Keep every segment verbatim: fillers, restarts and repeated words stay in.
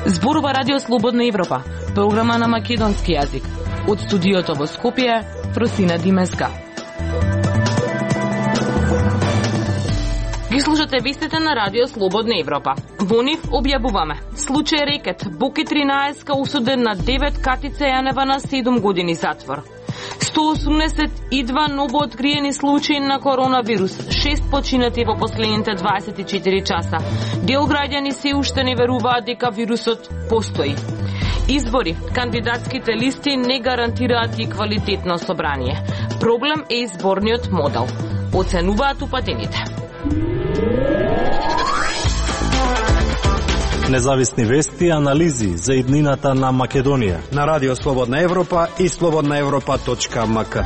Зборува Радио Слободна Европа, програма на македонски јазик. Од студиото во Скопје, Просина Димеска. Ги слушате вестите на Радио Слободна Европа. Во нив објавуваме: случај рекет, Боки тринаесет осуден на девет, Катица Јанева на седум години затвор. сто осумдесет и два новооткриени случаи на коронавирус, шест починати во последните дваесет и четири часа. Дел граѓани се уште не веруваат дека вирусот постои. Избори, кандидатските листи не гарантираат и квалитетно собрание. Проблем е изборниот модел, оценуваат упатените. Независни вести и анализи за иднината на Македонија на Радио Слободна Европа и слободна европа точка ем ка.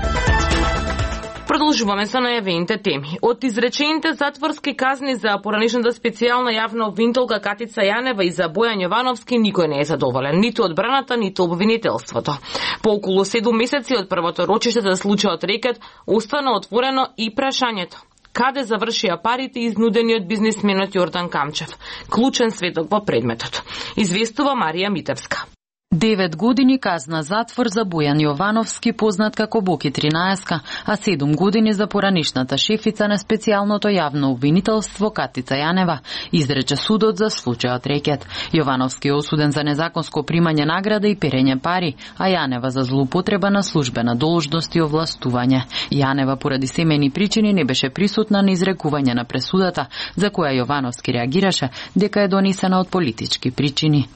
Продолжуваме со најавените теми. Од изречените затворски казни за поранешната специјална јавна обвинителка Катица Јанева и за Бојан Јовановски никој не е задоволен, ниту одбраната, ниту обвинителството. По околу седум месеци од првото рочиште за случајот рекет, остана отворено и прашањето: каде завршија парите изнудени од бизнисменот Јордан Камчев, клучен сведок во предметот. Известува Марија Митевска. девет години казна затвор за Бојан Јовановски, познат како Боки тринаесет, а седум години за поранешната шефица на специјалното јавно обвинителство Катица Јанева, изрече судот за случајот рекет. Јовановски е осуден за незаконско примање награда и перење пари, а Јанева за злоупотреба на службена должност и овластување. Јанева поради семејни причини не беше присутна на изрекување на пресудата, за која Јовановски реагираше дека е донесена од политички причини.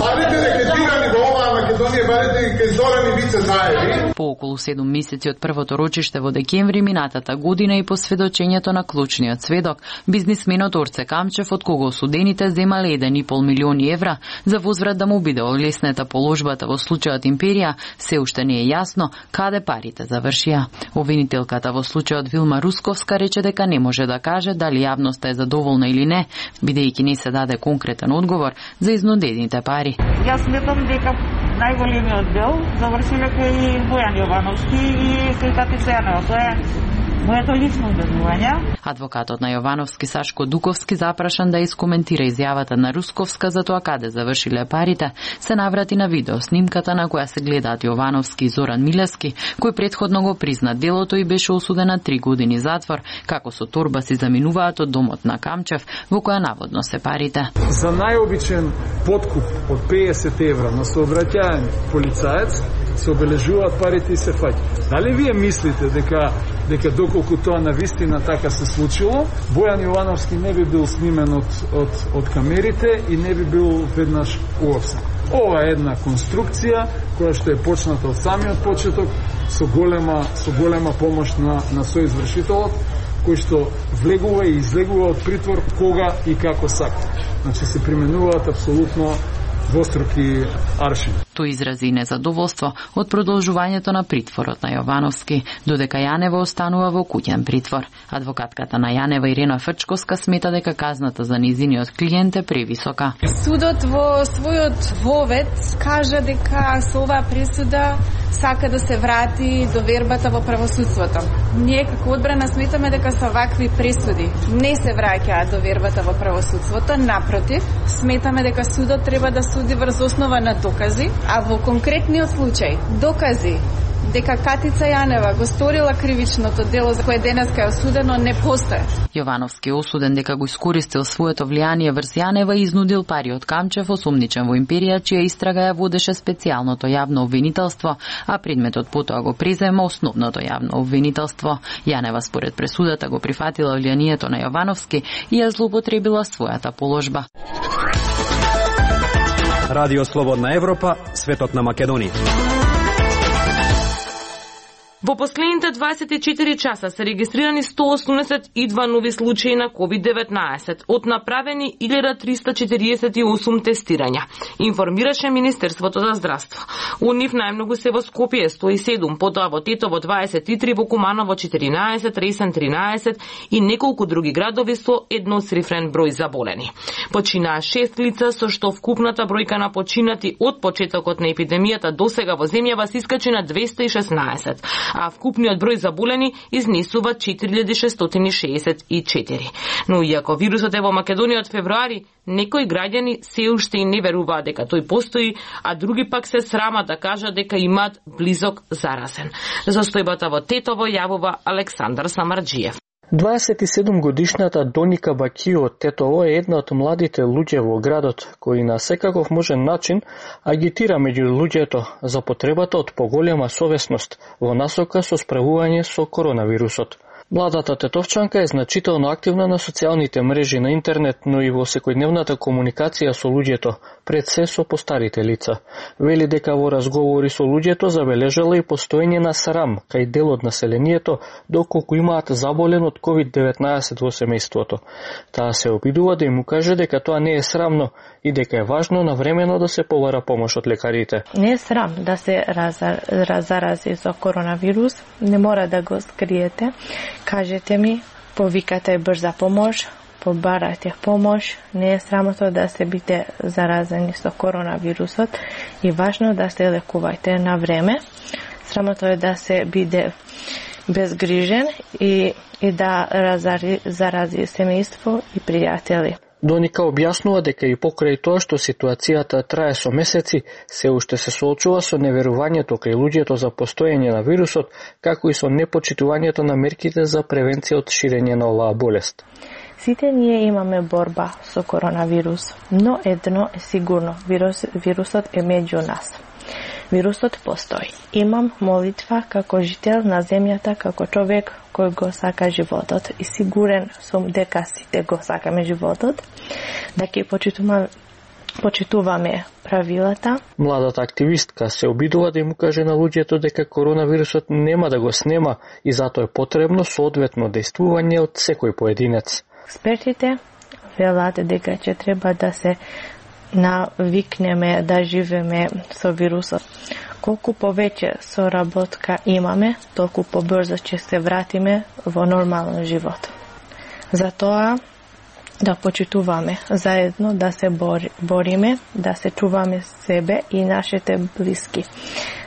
По околу седум месеци од првото рочиште во декември минатата година и по сведочењето на клучниот сведок, бизнисменот Орце Камчев, од кого осудените земале еден и пол милиони евра за возврат да му биде олеснета положбата во случајот Империја, се уште не е јасно каде парите завршија. Обвинителката во случајот Вилма Русковска рече дека не може да каже дали јавноста е задоволна или не, бидејќи не се даде конкретен одговор за изнудените пари. Јас сметам дека најголемиот дел завршиле кај Бојан Јовановски и кај Катица Јанева. Тоа е моето лично убедување. Адвокатот на Јовановски Сашко Дуковски, запрашан да искоментира изјавата на Русковска за тоа каде завршиле парите, се наврати на видео снимката на која се гледаат Јовановски и Зоран Милевски, кој претходно го призна делото и беше осуден на три години затвор, како со торба си заминуваат од домот на Камчев, во која наводно се парите. За најобичен подкуп од песет евра на сообраќаен полицаец се обележуваат парите и се фаќаат. Дали вие мислите дека дека доколку тоа навистина така се случило, Бојан Јовановски не би бил снимен од, од, од камерите и не би бил веднаш уапсен? Ова е една конструкција која што е почната од самиот почеток со голема со голема помош на на соизвршителот, кој што влегува и излегува од притвор кога и како сака. Значи се применуваат апсолутно двоструки аршини. Тој изрази незадоволство од продолжувањето на притворот на Јовановски, додека Јанева останува во куќен притвор. Адвокатката на Јанева Ирена Фрчковска смета дека казната за низиниот клиент е превисока. Судот во својот вовед кажа дека со оваа пресуда сака да се врати довербата во правосудството. Ние како одбрана сметаме дека со вакви пресуди не се враќаат довербата во правосудството, напротив, сметаме дека судот треба да суди врз основа на докази, а во конкретниот случај докази дека Катица Јанева го сторила кривичното дело за кое денеска е осудено не постојат. Јовановски е осуден дека го искористил своето влијание врз Јанева и изнудил пари од Камчев, осумничен во Империја, чија истрага ја водеше специјалното јавно обвинителство, а предметот потоа го презема основното јавно обвинителство. Јанева според пресудата го прифатила влијанието на Јовановски и ја злоупотребила својата положба. Радио Слободна Европа, светот на Македонија. Во последните дваесет и четири часа се регистрирани сто осумдесет и два нови случаи на ковид деветнаесет, од направени илјада триста четириесет и осум тестирања, информираше Министерството за здравство. Од нив најмногу се во Скопје сто и седум, потоа во Тетово дваесет и три, во Куманово четиринаесет, Ресен тринаесет и неколку други градови со едноцифрен број заболени. Починаа шест лица, со што вкупната бројка на починати од почетокот на епидемијата досега во земјава се искачи на двесте и шеснаесет. а вкупниот број заболени изнесува четири илјади шестстотини шеесет и четири. Но иако вирусот е во Македонија од февруари, некои граѓани се уште и не веруваат дека тој постои, а други пак се срамат да кажат дека имаат близок заразен. За состојбата во Тетово јавува Александар Самарџиев. дваесет и седум годишната Доника Бакио од Тетово е една од младите луѓе во градот, кои на секаков можен начин агитира меѓу луѓето за потребата од поголема совесност во насока со справување со коронавирусот. Младата тетовчанка е значително активна на социјалните мрежи на интернет, но и во секојдневната комуникација со луѓето, пред се со постарите лица. Вели дека во разговори со луѓето забележала и постоење на срам кај дел од населението, доколку имаат заболен од ковид деветнаесет во семејството. Таа се обидува да им укаже дека тоа не е срамно и дека е важно навремено да се побара помош од лекарите. Не е срам да се зарази со коронавирус, не мора да го скриете. Кажете ми, повикате брза помош, побарајте помош, не е срамотно да се бите заразени со коронавирусот и важно да се лекувајте на време. Срамотно е да се биде безгрижен и, и да разари, зарази семејство и пријатели. Доника објаснува дека и покрај тоа што ситуацијата трае со месеци, се уште се соочува со неверувањето кај луѓето за постоење на вирусот, како и со непочитувањето на мерките за превенција од ширење на оваа болест. Сите ние имаме борба со коронавирус, но едно е сигурно, вирус, вирусот е меѓу нас. Вирусот постои. Имам молитва како жител на земјата, како човек кој го сака животот и сигурен сум дека сите го сакаме животот, да ќе почитуваме, почитуваме правилата. Младата активистка се обидува да им укаже на луѓето дека коронавирусот нема да го снема и затоа е потребно соодветно дејствување од секој поединец. Експертите велат дека ќе треба да се навикнеме да живееме со вирусот. Колку повеќе соработка имаме, толку побрзо ќе се вратиме во нормален живот. Затоа да почитуваме заедно, да се бори, бориме, да се чуваме себе и нашите блиски,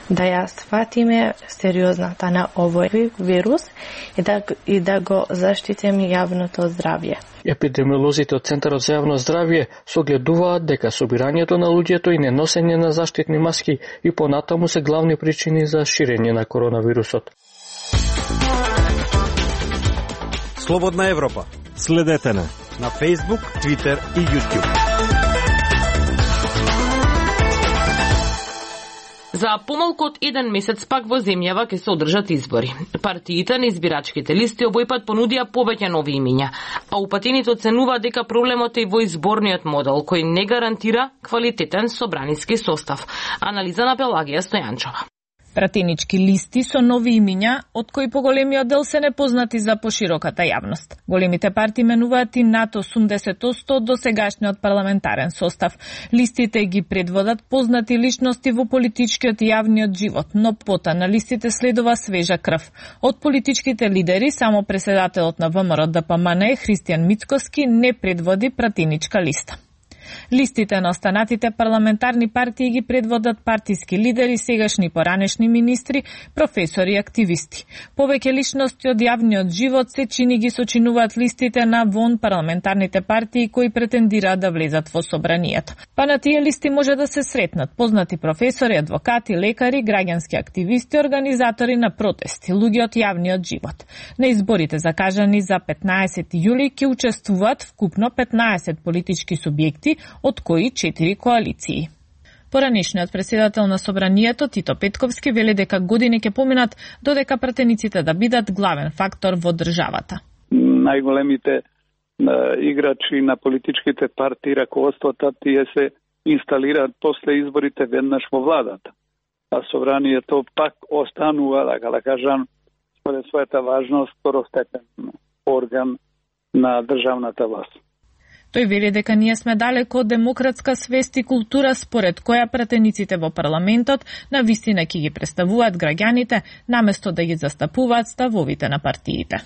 да ја сватиме сериозната на овој вирус и да, и да го заштитиме јавното здравје. Епидемиолозите од Центарот за јавно здравје согледуваат дека собирањето на луѓето и неносење на заштитни маски и понатаму се главни причини за ширење на коронавирусот. Слободна Европа. Следете на на Facebook, Twitter и YouTube. За помалку од еден месец пак во земјава ќе се одржат избори. Партиите на избирачките листи овој пат понудија повеќе нови имиња, а упатените оценуваат дека проблемот е во изборниот модел, кој не гарантира квалитетен собраниски состав. Анализа на Пелагија Стојанчова. Пратенички листи со нови имиња, од кои поголемиот дел се непознати за пошироката јавност. Големите партии менуваат и над осумдесет одсто од досегашниот парламентарен состав. Листите ги предводат познати личности во политичкиот и јавниот живот, но пота на листите следува свежа крв. Од политичките лидери, само преседателот на ВМРО Д П М Н Христијан Мицкоски не предводи пратеничка листа. Листите на останатите парламентарни партии ги предводат партиски лидери, сегашни поранешни министри, професори и активисти. Повеќе личности од јавниот живот се чини ги сочинуваат листите на вон парламентарните партии кои претендираат да влезат во собранието. Па на тие листи може да се сретнат познати професори, адвокати, лекари, граѓански активисти, организатори на протести, луѓе од јавниот живот. На изборите закажани за петнаесети јули ќе учествуваат вкупно петнаесет политички субјекти, од кои четири коалиции. Поранешниот председател на собранието Тито Петковски вели дека години ќе поминат додека пратениците да бидат главен фактор во државата. Најголемите играчи на политичките партии, раководствата, тие се инсталираат после изборите веднаш во владата. А собранието пак останува, така да кажам, според својата важност, второстепен орган на државната власт. Тој вели дека ние сме далеко од демократска свест и култура според која пратениците во парламентот на вистина ќе ги представуваат граѓаните, наместо да ги застапуваат ставовите на партиите.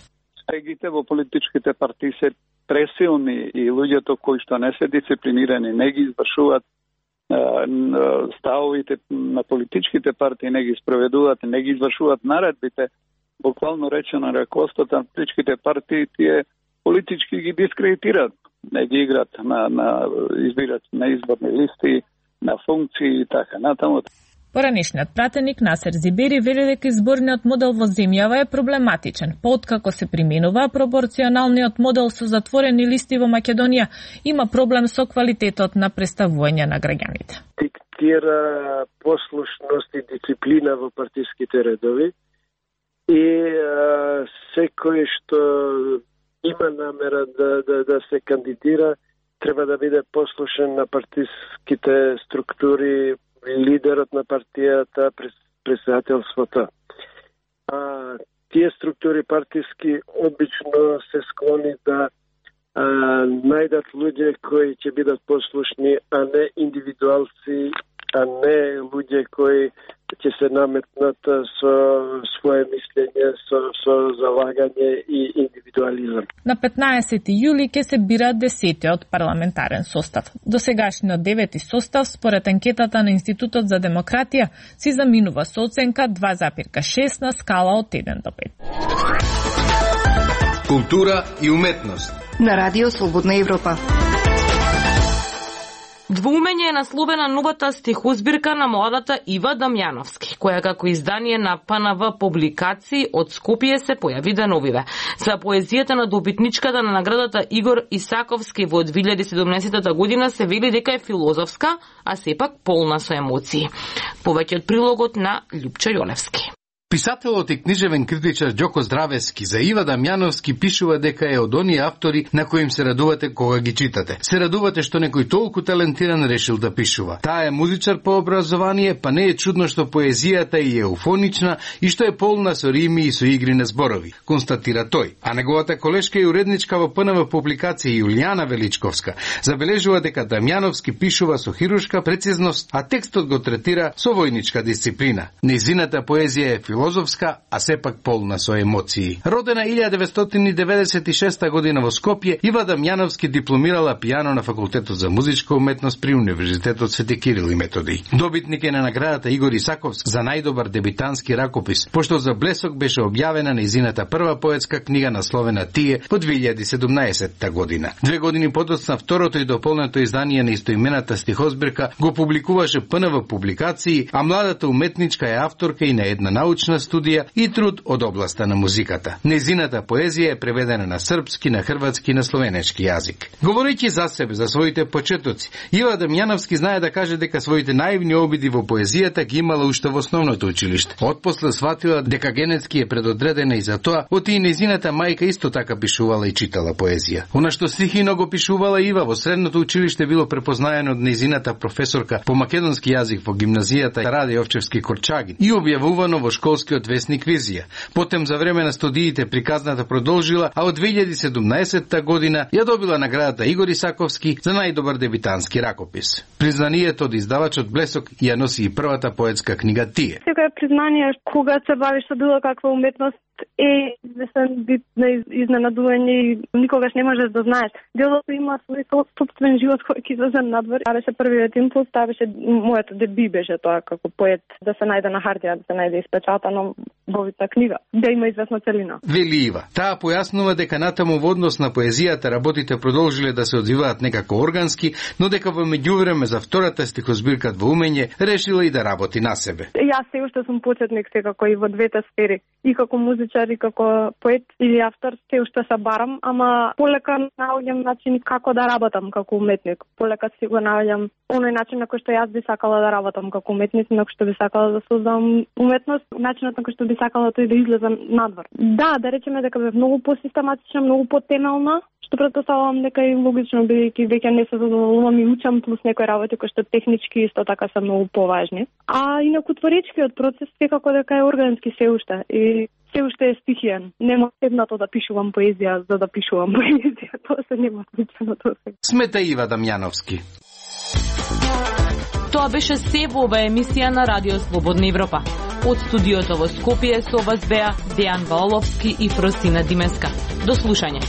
Регите во политичките партии се пресилни и луѓето кои што не се дисциплинирани не ги извршуваат ставовите на политичките партии не ги спроведуваат, не ги извршуваат наредбите, буквално речено раковството на политичките партии тие политички ги дискредитираат, не ги играат на, на избират на изборни листи, на функции и така натаму. Поранешниот пратеник Насер Зибери вели дека изборниот модел во земјава е проблематичен. Пооткако се применува пропорционалниот модел со затворени листи во Македонија, има проблем со квалитетот на представување на граѓаните. Диктира послушност и дисциплина во партиските редови и а, секој што има намера да, да, да се кандидира треба да биде послушен на партиските структури, лидерот на партијата, председателството. А тие структури партиски обично се склони да а, најдат луѓе кои ќе бидат послушни, а не индивидуалци, а не луѓе кои ќе се наметнат со своje мислење, со, со залагање и индивидуализам. На петнаесети јули ќе се бира десетиот парламентарен состав. Досегашниот девети состав, според анкетата на Институтот за демократија, си заминува со оценка два запирка шест на скала од еден до пет. Култура и уметност на Радио Слободна Европа. Двоумење е насловена новата стихозбирка на младата Ива Дамјановски, која како издание на П Н В публикации од Скопје се појави деновиве. За поезијата на добитничката на наградата Игор Исаковски во две илјади и седумнаесета година се вели дека е филозофска, а сепак полна со емоции. Повеќе од прилогот на Љупчо Јолевски. Писателот и книжевен критичар Ѓоко Здравески за Ива Дамјановски пишува дека е од оние автори на кои им се радувате кога ги читате. Се радувате што некој толку талентиран решил да пишува. Таа е музичар по образование, па не е чудно што поезијата е еуфонична и што е полна со рими и со игри на зборови, констатира тој. А неговата колешка и уредничка во П Н В публикација Јулијана Величковска забележува дека Дамјановски пишува со хируршка прецизност, а текстот го третира со војничка дисциплина. Нејзината поезија е филозофска, а сепак полна со емоции. Родена илјада деветстотини деветдесет и шеста година во Скопје, Ива Дамјановски дипломирала пијано на факултетот за музичка уметност при Универзитетот Свети Кирил и Методиј. Добитник е на наградата Игор Исаковски за најдобар дебитански ракопис, пошто за блесок беше објавена нејзината прва поетска книга насловена Тие во две илјади и седумнаесета година. Две години подоцна второто и дополнето издание на истоимената стихозбирка го публикуваше П Н В публикации, а младата уметничка е авторка и на една научна студија и труд од областа на музиката. Незината поезија е преведена на српски, на хрватски и на словенечки јазик. Говорејќи за себе, за своите почетоци, Ива Дамјановски знае да каже дека своите наивни обиди во поезијата ги имала уште во основното училиште. Отпосле сватила дека генетски е предодредена и за тоа, оти и незината мајка исто така пишувала и читала поезија. Она што стихино го пишувала Ива во средното училиште било препознаено од незината професорка по македонски јазик во гимназијата Раде Овчевски Корчагин и објавувано во школскиот весник Визија. Потем за време на студиите приказната продолжила, а од две илјади и седумнаесета година ја добила наградата Игор Исаковски за најдобар дебитански ракопис. Признанието од издавачот Блесок ја носи и првата поетска книга Тие. Сега е признание кога се бавиш со било каква уметност е известен вид на изненадување и никогаш не можеш да знаеш. Делото има свој собствен живот кој ќе излезе надвор. А беше првиот импулс, таа беше моето деби беше тоа како поет да се најде на хартија, да се најде испечатано во вид на книга, да има известна целина. Вели Ива. Таа појаснува дека натаму во однос на поезијата работите продолжиле да се одвиваат некако органски, но дека во меѓувреме за втората стихозбирка Двоумење решила и да работи на себе. Јас се уште сум почетник секако и во двете сфери, и како музичар и како поет или автор се уште се барам, ама полека наоѓам начин како да работам како уметник. Полека си го наоѓам оној начин на кој што јас би сакала да работам како уметник, на кој што би сакала да создам уметност, начинот на кој што би сакала тој да излезе надвор. Да, да речеме дека бе многу посистематична, многу потемелна, што претпоставувам дека е логично, бидејќи веќе не се задоволувам и учам плюс некои работи кои што технички исто така се многу поважни. А инаку творечкиот процес секако дека е органски се уште и се уште е стихиен. Нема седнато да пишувам поезија за да пишувам поезија. Тоа се нема случено тоа се. Смета Ива Дамјановски. Тоа беше се во оваа емисија на Радио Слободна Европа. Од студиото во Скопје со вас беа Дејан Валовски и Фросина Димеска. До слушање.